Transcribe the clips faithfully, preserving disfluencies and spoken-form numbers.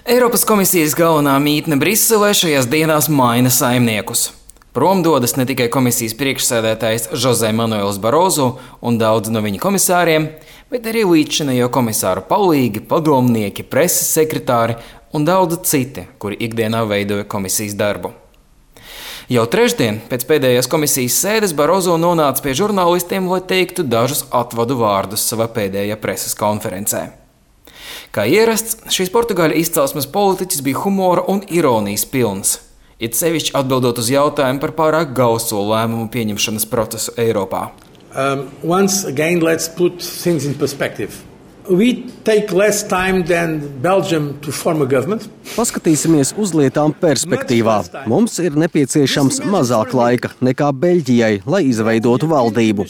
Eiropas komisijas galvenā mītne Briselē šajās dienās maina saimniekus. Prom dodas ne tikai komisijas priekšsēdētājs José Manuels Barroso un daudzi no viņa komisāriem, bet arī līdzšinējo komisāru palīgi, padomnieki, preses sekretāri un daudzi citi, kuri ikdienā veidoja komisijas darbu. Jau trešdien, pēc pēdējās komisijas sēdes, Barroso nonāca pie žurnālistiem, lai teiktu dažus atvadu vārdus savā pēdējā preses konferencē. Kā ierasts, šīs Portugāļu izcelsmes politiķis bija humora un ironijas pilns, it sevišķi atbildot uz jautājumu par pārāk gauso lēmumu pieņemšanas procesu Eiropā. Um, once again, let's put things in perspective. We take less time than Belgium to form a government. Paskatīsimies uz lietām perspektīvā. Mums ir nepieciešams mazāk laika nekā Beļģijai, lai izveidotu valdību.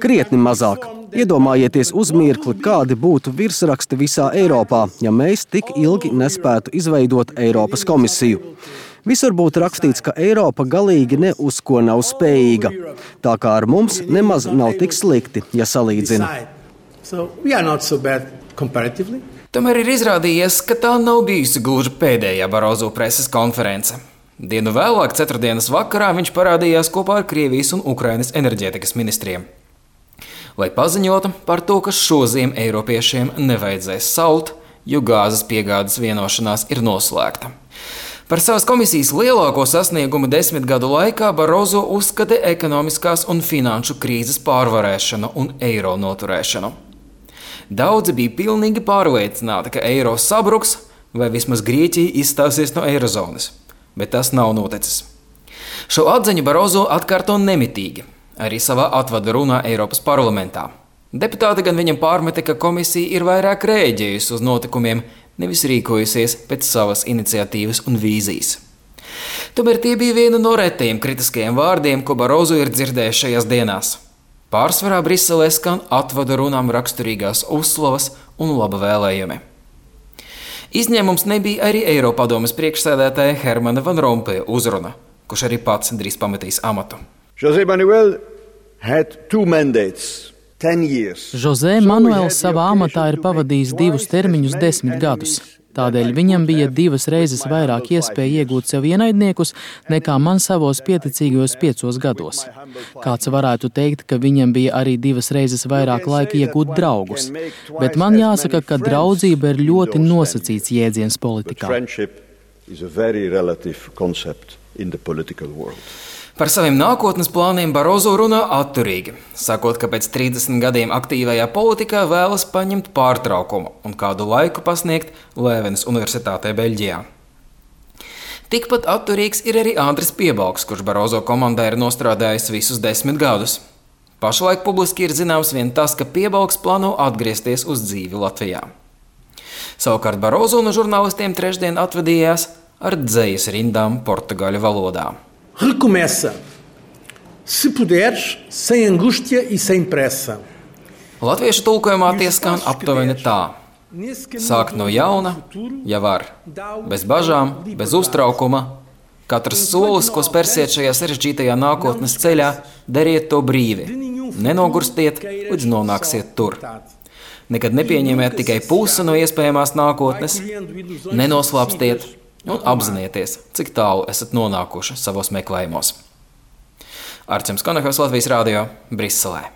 Krietni mazāk. Iedomājieties uz mirkli, kādi būtu virsraksti visā Eiropā, ja mēs tik ilgi nespētu izveidot Eiropas komisiju. Visur būtu rakstīts, ka Eiropa galīgi ne uz ko nav spējīga. Tā kā ar mums nemaz nav tik slikti, ja salīdzina. So we are not so bad comparatively. Tomēr ir izrādījies, ka tā nav bijusi gluži pēdējā Barroso preses konference. Dienu vēlāk, ceturtdienas vakarā, viņš parādījās kopā ar Krievijas un Ukrainas enerģētikas ministriem, lai paziņotu par to, ka šoziem eiropiešiem nevajadzēs salt, jo gāzes piegādes vienošanās ir noslēgta. Par savas komisijas lielāko sasniegumu desmit gadu laikā Barroso uzskata ekonomiskās un finanšu krīzes pārvarēšanu un eiro noturēšanu. Daudzi bija pilnīgi pārliecināti, ka eiro sabruks vai vismaz Grieķija izstāsies no eirozonas, bet tas nav noticis. Šo atziņu Barroso atkārto nemitīgi, arī savā atvada runā Eiropas parlamentā. Deputāti gan viņam pārmeta, ka komisija ir vairāk rēģējusi uz notikumiem, nevis rīkojusies pēc savas iniciatīvas un vīzijas. Tomēr tie bija viena no retajiem kritiskajiem vārdiem, ko Barroso ir dzirdējis šajās dienās. Pārsvarā Briselē skan atvada runām raksturīgās uzslavas un laba vēlējumi. Izņēmums nebija arī Eiropadomes priekšsēdētāja Hermana Van Rompuya uzruna, kurš arī pats drīz pametīs amatu. José Manuel had two mandates. José Manuels savā amatā ir pavadījis divus termiņus desmit gadus. Tādēļ viņam bija divas reizes vairāk iespēja iegūt sev ienaidniekus nekā man savos pieticīgajos piecos gados. Kāds varētu teikt, ka viņam bija arī divas reizes vairāk laika iegūt draugus. Bet man jāsaka, ka draudzība ir ļoti nosacīts jēdziens politikā. Par saviem nākotnes plāniem Barroso runā atturīgi, sakot, ka pēc trīsdesmit gadiem aktīvajā politikā vēlas paņemt pārtraukumu un kādu laiku pasniegt Lēvenas universitātē Beļģijā. Tikpat atturīgs ir arī Andris Piebalgs, kurš Barroso komandā ir nostrādājis visus desmit gadus. Pašlaik publiski ir zināms vien tas, ka Piebalgs plāno atgriezties uz dzīvi Latvijā. Savukārt Barroso no žurnālistiem trešdien atvadījās ar dzejas rindām portugāļu valodā. Recomeça, se puderes, sem angústia e sem pressa. Latviešu tulkojumā tie skan aptuveni tā. Sākt no jauna, ja var, bez bažām, bez uztraukuma. Katrs solis, ko spērsiet šajā sarežģītajā nākotnes ceļā, dariet to brīvi. Nenogurstiet, līdz nonāksiet tur. Nekad nepieņemiet tikai pusi no iespējamās nākotnes, nenoslāpstiet un apzinieties, cik tālu esat nonākuši savos meklējumos. Arčuns Konehovs, Latvijas Rādio, Briselē.